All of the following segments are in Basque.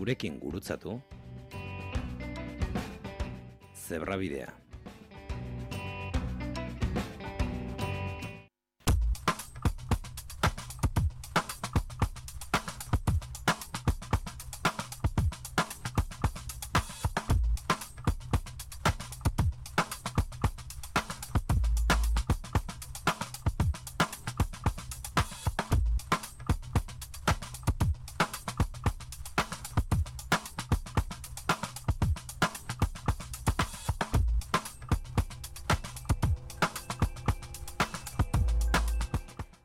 gurekin gurutzatu. Zebrabidea.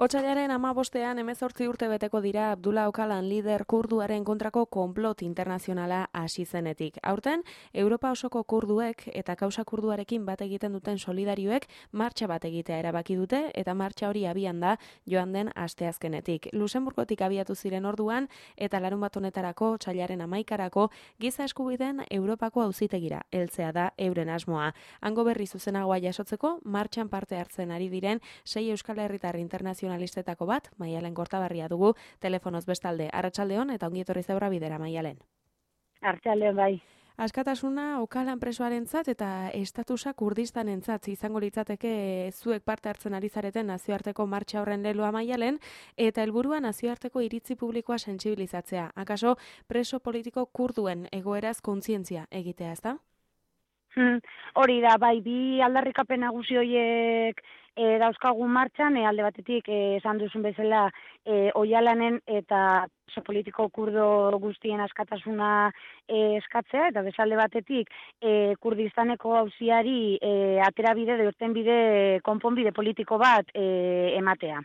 Otsailaren 15ean 18 urte beteko dira Abdullah Öcalan lider kurduaren kontrako konplot internazionala hasi zenetik. Aurten, Europa osoko kurduek eta kausa kurduarekin bat egiten duten solidarioek martxa bat egitea erabaki dute eta martxa hori abian da joan den asteazkenetik. Luxemburgotik abiatu ziren orduan eta larunbat honetarako otsailaren 11erako giza eskubideen Europako auzitegira heltzea da euren asmoa. Hango berri zuzenagoa jasotzeko martxan parte hartzen ari diren 6 Euskal Herritar internazionalistetako bat, Maialen Kortabarria dugu, telefonoz bestalde. Arratsaldeon eta ongi etorri Zebrabidera, Maialen. Arratsaldeon bai. Askatasuna Öcalan presoarentzat eta estatusa Kurdistanentzat izango litzateke zuek parte hartzen ari zareten nazioarteko martxa horren leloa, Maialen, eta helburua nazioarteko iritzi publikoa sentsibilizatzea. Akaso preso politiko kurduen egoeraz kontzientzia egitea, ezta? Hori da, bai, bi aldarrikapen nagusi horiek dauzkagu martxan, alde batetik esan duzun bezala Öcalanen eta preso politiko kurdo guztien askatasuna eskatzea, eta bezalde batetik Kurdistaneko auziari aterabide, irtenbide, konponbide politiko bat ematea.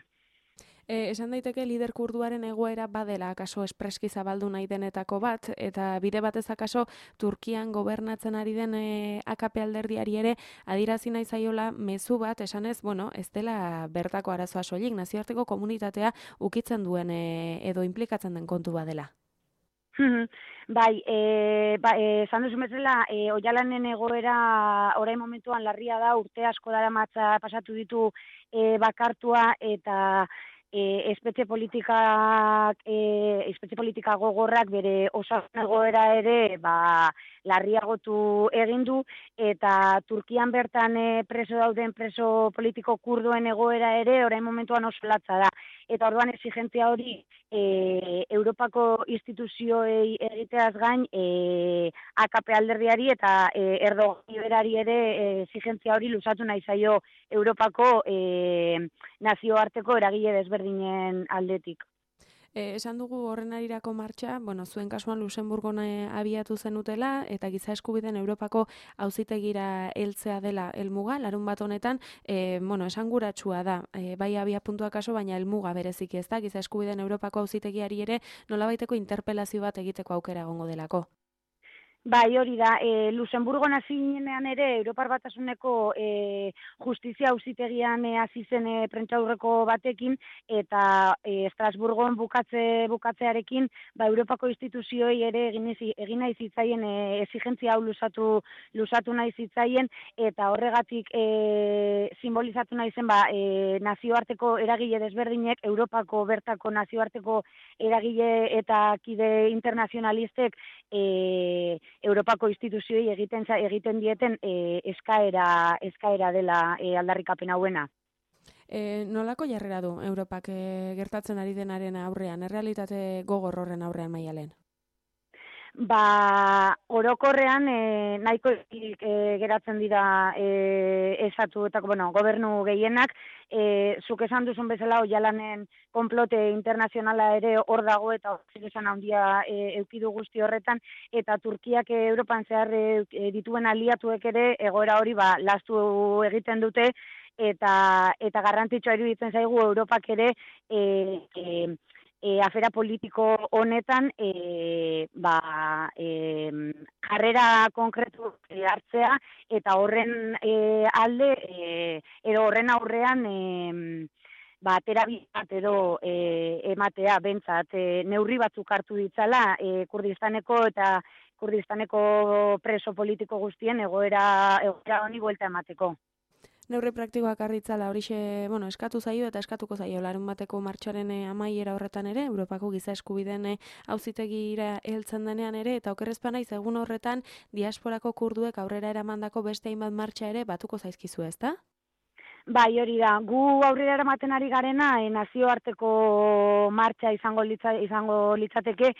Esan daiteke lider kurduaren egoera badela akaso espreski zabaldu nahi denetako bat, eta bide batez akaso Turkian gobernatzen ari den AKP alderdiari ere adirazi nahi zaiola mezu bat, esanez, ez dela bertako arazoa soilik, nazioarteko komunitatea ukitzen duen edo implikatzen den kontu badela. Bai, esan duzu bezala, Öcalanen egoera orain momentuan larria da, urte asko daramatza pasatu ditu bakartua eta espetxe politika gogorrak bere osasun egoera ere larriagotu egin du, eta Turkian bertan preso dauden preso politiko kurduen egoera ere orain momentuan oso latza da. Eta orduan exigentzia hori Europako instituzioei egiteaz gain AKP alderdiari eta Erdogan berari ere exigentzia hori luzatu nahi zaio Europako nazioarteko eragile desberdinen aldetik. Esan dugu horren arirako martxa, zuen kasuan Luxemburgon abiatu zenutela eta giza eskubideen Europako auzitegira heltzea dela helmuga, larunbat honetan, esanguratsua da, bai abia puntua kaso, baina helmuga bereziki ez da, giza eskubideen Europako auzitegiari ere nolabaiteko interpelazio bat egiteko aukera egongo delako. Bai, hori da, Luxemburgon hasi ginean ere Europar Batasuneko justizia auzitegian hasi zen prentsaurreko batekin, eta Estrasburgon bukatzearekin Europako instituzioei ere egin nahi zitzaien exigentzia hau luzatu nahi zitzaien, eta horregatik simbolizatu nahi zen nazioarteko eragile desberdinek, Europako bertako nazioarteko eragile eta kide internazionalistek Europako instituzioei egiten dieten eskaera dela aldarrikapen hauena. Nolako jarrera du Europak gertatzen ari denaren aurrean, errealitate gogor horren aurrean, Maialen? Orokorrean nahiko geratzen dira estatuetako, gobernu gehienak, zuk esan duzun bezala Öcalanen konplote internazionala ere hor dago eta hor esan handia eukidu guzti horretan, eta Turkiak Europan zehar dituen aliatuek ere egoera hori lastu egiten dute, eta garrantzitsua iruditzen zaigu Europak ere afera politiko honetan jarrera konkretu hartzea, eta horren alde edo horren aurrean terabia bat edo ematea bentsat neurri batzuk hartu ditzala Kurdistaneko preso politiko guztien egoera honi buelta emateko. Neurri praktikoak arritzala horixe, eskatu zaio eta eskatuko zaio larunbateko martxoaren amaiera horretan ere, Europako giza eskubideen auzitegira heltzen denean ere, eta okerrezpa naiz egun horretan diasporako kurduek aurrera eramandako beste hainbat martxa ere batuko zaizkizu, ezta? Bai, hori da. Gu aurrera eramaten ari garena, nazioarteko martxa izango litzateke,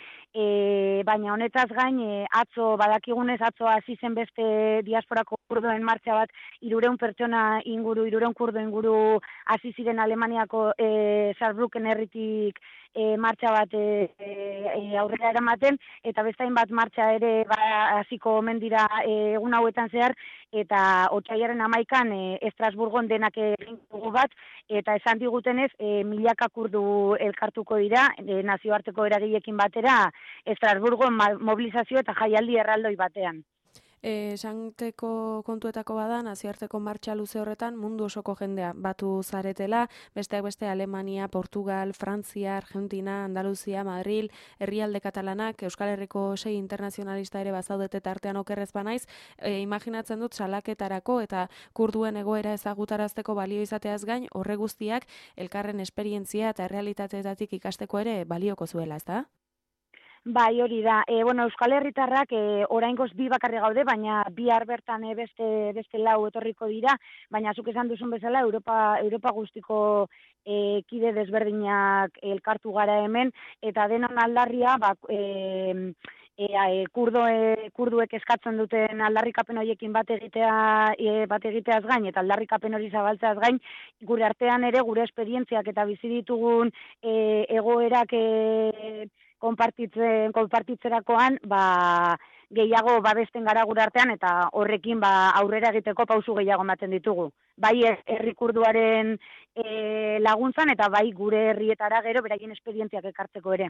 baina honetaz gain, atzo badakigunez, atzo hasi zen beste diasporako kurduen martxa bat, 300 pertsona inguru, 300 kurdu inguru hasi ziren Alemaniako Saarbrücken herritik martxa bat aurrera eramaten, eta bestain bat martxa ere hasiko omen dira egun hauetan zehar, eta otsailaren 11an Estrasburgon denak egin dugu bat, eta esan digutenez milaka kurdu elkartuko dira nazioarteko eragileekin batera Estrasburgon mobilizazio eta jaialdi erraldoi batean. Esanteko kontuetako bada, nazioarteko martxa luze horretan mundu osoko jendea batu zaretela, besteak beste Alemania, Portugal, Frantzia, Argentina, Andaluzia, Madril, herrialde katalanak, Euskal Herriko 6 internazionalista ere bazaudete tartean okerrez banaiz, imaginatzen dut salaketarako eta kurduen egoera ezagutarazteko balio izateaz gain, horre guztiak elkarren esperientzia eta realitateetatik ikasteko ere balioko zuela, ezta? Bai, hori da. Euskal Herritarrak oraingoz 2 bakarri gaude, baina bihar bertan beste 4 etorriko dira, baina zuk esan duzun bezala Europa guztiko kide desberdinak elkartu gara hemen, eta denon aldarria, kurduek eskatzen duten aldarrikapen horiekin bat egiteaz gain, eta aldarrikapen hori zabaltzeaz gain, gure artean ere gure esperientziak eta bizi ditugun egoerak konpartitzerakoan, gehiago babesten gara gure artean, eta horrekin aurrera egiteko pausu gehiago ematen ditugu. Bai herri kurduaren laguntzan, eta bai gure herrietara gero beraien esperientziak ekartzeko ere.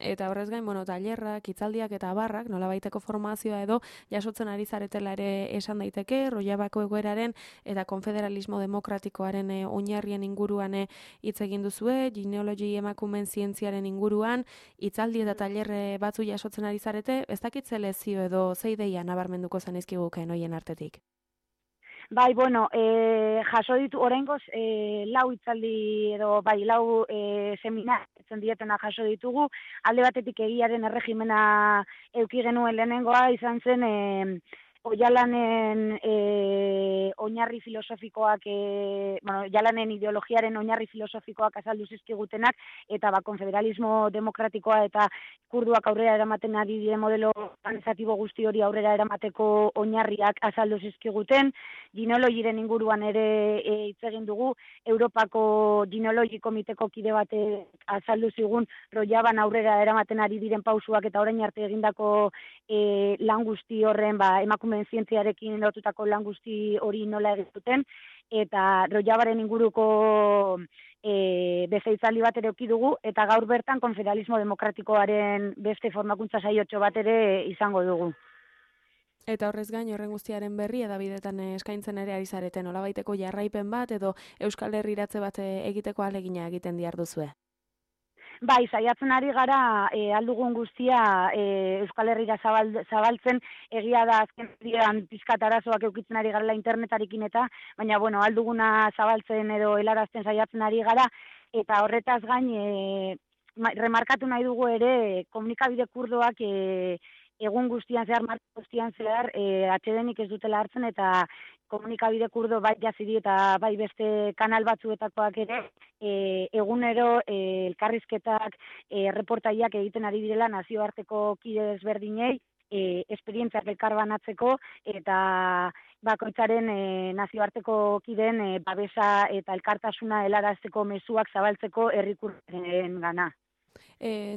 Eta horrez gain, tailerrak, hitzaldiak eta abarrak, nolabaiteko formazioa edo jasotzen ari zaretela ere esan daiteke, Rojavako egoeraren eta konfederalismo demokratikoaren oinarrien inguruan hitz egin duzue, genealogi emakumeen zientziaren inguruan, hitzaldi eta tailerre batzu jasotzen ari zarete, ez dakit ze lezio edo ze ideia nabarmenduko zenizkiguken hoien artetik? Bai, jaso ditu, oraingoz 4 hitzaldi edo, 4 seminar dietena jaso ditugu, alde batetik egiaren erregimena eduki genuen lehenengoa, izan zen Ojalanen oinarri filosofikoak, Ojalanen ideologiaren oinarri filosofikoak azaldu zizkigutenak, eta konfederalismo demokratikoa eta kurduak aurrera eramaten ari diren modelo organizatibo guzti hori aurrera eramateko oinarriak azaldu zizkiguten, genealogiren inguruan ere hitz egin dugu, Europako genealogi komiteko kide batek azaldu zigun Rojaban aurrera eramaten ari diren pausuak eta orain arte egindako lan guzti horren, emakumeen zientziarekin lotutako lan guzti hori nola egin duten, eta Rojabaren inguruko beste hitzaldi bat ere eduki dugu, eta gaur bertan konfederalismo demokratikoaren beste formakuntza saiotxo bat ere izango dugu. Eta horrez gain, horren guztiaren berri edabidetan eskaintzen ere ari zareten, nolabaiteko jarraipen bat edo Euskal Herriratze bat egiteko ahalegina egiten diharduzue? Bai, saiatzen ari gara aldugun guztia Euskal Herrira zabaltzen, egia da azken dian pizkat arazoak eukitzen ari garela internetarekin eta, baina alduguna zabaltzen edo helarazten saiatzen ari gara, eta horretaz gain remarkatu nahi dugu ere komunikabide kurdoak egun guztian zehar, marka guztian zehar, atsedenik ez dutela hartzen, eta komunikabide kurdo bai jazidi eta bai beste kanal batzuetakoak ere, egunero elkarrizketak, reportaiak egiten ari direla nazioarteko kide desberdinei, esperientziak elkarbanatzeko, eta bakoitzaren nazioarteko kideen babesa eta elkartasuna helarazteko mezuak zabaltzeko herri kurden gana.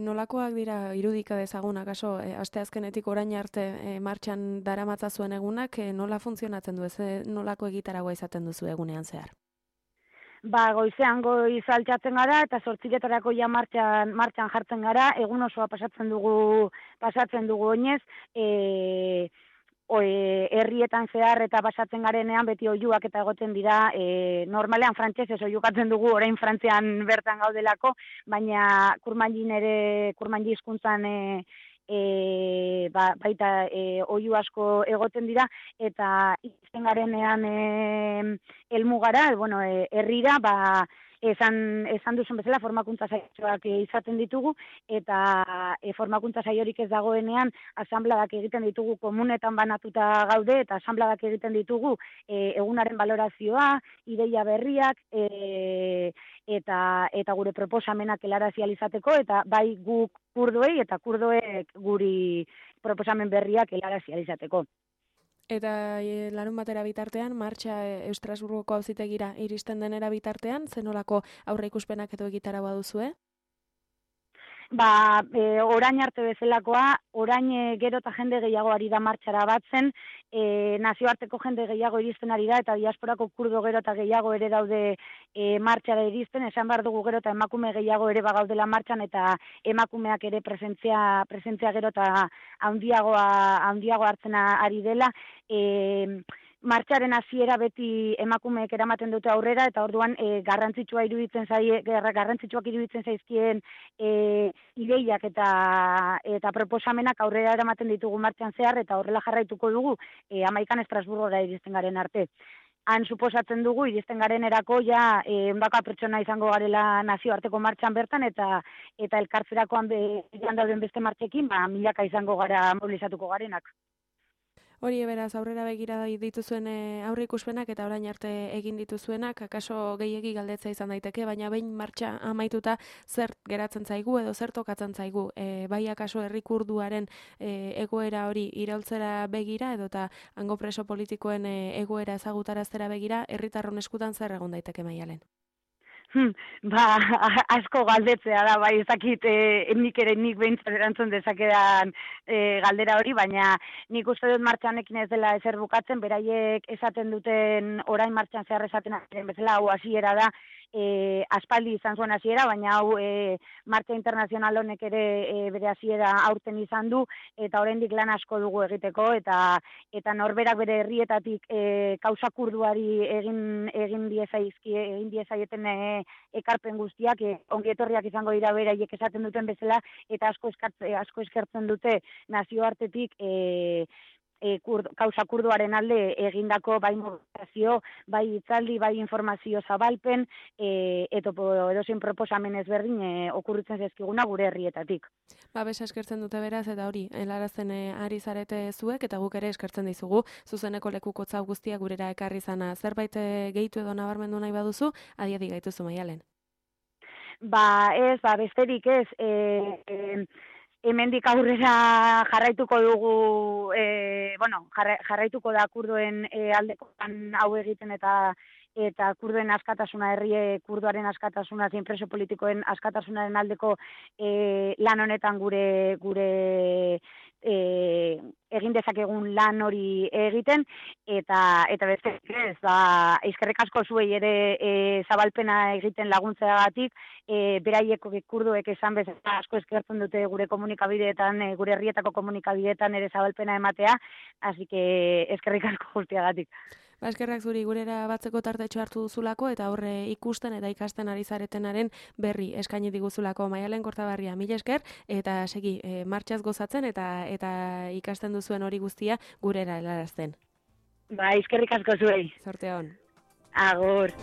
Nolakoak dira irudika dezagunak, asteazkenetik orain arte martxan daramatza zuen egunak, nola funtzionatzen du, nolako egitaragoa izaten duzu egunean zehar? Goizean goiz altxatzen gara, eta 8 ja martxan jartzen gara, egun osoa pasatzen dugu oinez, herrietan zehar eta pasatzen garenean beti oihuak eta egoten dira, normalean frantsesez oihukatzen dugu, orain Frantzian bertan gaudelako, baina kurmanji hizkuntzan baita oihu asko egoten dira, eta izten garenean helmugara, herrira, esan duzun bezala formakuntza saioak izaten ditugu, eta formakuntza saiorik ez dagoenean asanbladak egiten ditugu, komunetan banatuta gaude, eta asanbladak egiten ditugu egunaren balorazioa, ideia berriak, eta gure proposamenak helarazi ahal izateko, eta bai guk kurdoei eta kurdoek guri proposamen berriak helarazi ahal izateko. Eta larunbatera bitartean, martxa Estrasburgoko auzitegira iristen denera bitartean, zenolako aurreikuspenak edo egitaragoa duzue? Orain arte bezalakoa, orain gero eta jende gehiago ari da martxara batzen, nazioarteko jende gehiago iristen ari da, eta diasporako kurdo gero eta gehiago ere daude martxara iristen, esan behar dugu gero eta emakume gehiago ere bagaudela martxan, eta emakumeak ere presentzia gero eta handiago hartzen ari dela, martxaren hasiera beti emakumeek eramaten dute aurrera, eta orduan garrantzitsuak iruditzen zaizkien ideiak eta proposamenak aurrera eramaten ditugu martxan zehar, eta horrela jarraituko dugu 11 Estrasburgora iristen garen arte. Han suposatzen dugu, iristen garen erako, ondaka pertsona izango garela nazioarteko martxan bertan, eta elkartzerakoan dauden beste martxekin, milaka izango gara mobilizatuko garenak. Hori beraz aurrera begira dituzuen aurreikuspenak eta orain arte egin dituzuenak, akaso gehiegi galdetzea izan daiteke, baina behin martxa amaituta zer geratzen zaigu edo zer tokatzen zaigu, bai akaso herri kurduaren egoera hori iraultzera begira edo eta hango preso politikoen egoera ezagutaraztera begira, herritarron eskutan zer egon daiteke Maialen? Asko galdetzea da, bai, ezakit nik behintzat erantzun dezakedan galdera hori, baina nik uste dut martxanekin ez dela ezer bukatzen, beraiek esaten duten orain martxan zehar esatenaren bezala, hau hasiera da, aspaldi izan zuen hasiera, baina hau martxa internazional honek ere bere hasiera aurten izan du, eta oraindik lan asko dugu egiteko, eta norberak bere herrietatik kausa kurduari egin diezaieten ekarpen guztiak ongi etorriak izango dira beraiek esaten duten bezala, eta asko eskertzen dute nazioartetik kausa kurduaren alde egindako bai mobilizazio, bai hitzaldi, bai informazio zabalpen, eta edozein proposamen ezberdin okurritzen zaizkiguna gure herrietatik. Babesa eskertzen dute beraz, eta hori, helarazten ari zarete zuek, eta guk ere eskertzen dizugu, zuzeneko lekukotza guztia gurera ekarri zana. Zerbait gehitu edo nabarmendu nahi baduzu, adiadi gaituzu Maialen. Besterik ez, hemendik aurrera jarraituko dugu, jarraituko da kurdoen aldekoan hau egiten eta kurdoen askatasuna, kurdoaren askatasuna, zein preso politikoen askatasunaren aldeko lan honetan gure egin dezakegun lan hori egiten, eta beste ez, eskerrik asko zuei ere zabalpena egiten laguntzeagatik, beraiek kurdoek esan bezala asko eskertzen dute gure komunikabideetan, gure herrietako komunikabideetan ere zabalpena ematea, así que eskerrik asko guztiagatik. Eskerrak zuri gurera batzeko tartetxo hartu duzulako eta horre ikusten eta ikasten ari zaretenaren berri eskaini diguzulako Maialen Kortabarria. Mila esker eta segi martxaz gozatzen eta ikasten duzuen hori guztia gurera helarazten. Eskerrik asko zuei. Zorte on. Agur.